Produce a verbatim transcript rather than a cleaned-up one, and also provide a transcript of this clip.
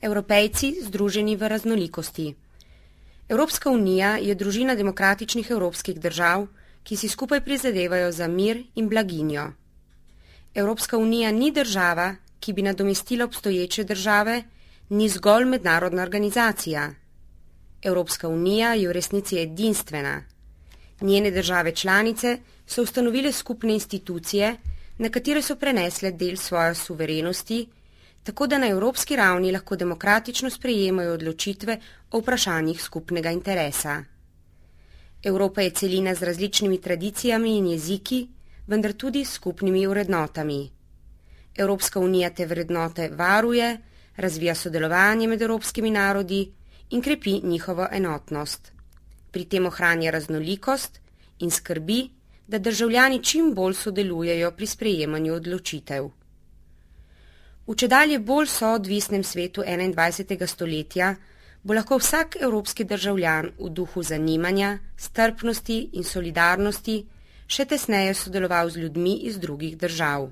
Evropejci združeni v raznolikosti. Evropska unija je družina demokratičnih evropskih držav, ki si skupaj prizadevajo za mir in blaginjo. Evropska unija ni država, ki bi nadomestila obstoječe države, ni zgolj mednarodna organizacija. Evropska unija je v resnici edinstvena. Njene države članice so ustanovile skupne institucije, na katere so prenesle del svoje suverenosti, tako da na evropski ravni lahko demokratično sprejemajo odločitve o vprašanjih skupnega interesa. Evropa je celina z različnimi tradicijami in jeziki, vendar tudi s skupnimi vrednotami. Evropska unija te vrednote varuje, razvija sodelovanje med evropskimi narodi in krepi njihovo enotnost. Pri tem ohranja raznolikost in skrbi, da državljani čim bolj sodelujejo pri sprejemanju odločitev. V čedalje bolj soodvisnem svetu enaindvajsetega stoletja bo lahko vsak evropski državljan v duhu zanimanja, strpnosti in solidarnosti še tesneje sodeloval z ljudmi iz drugih držav.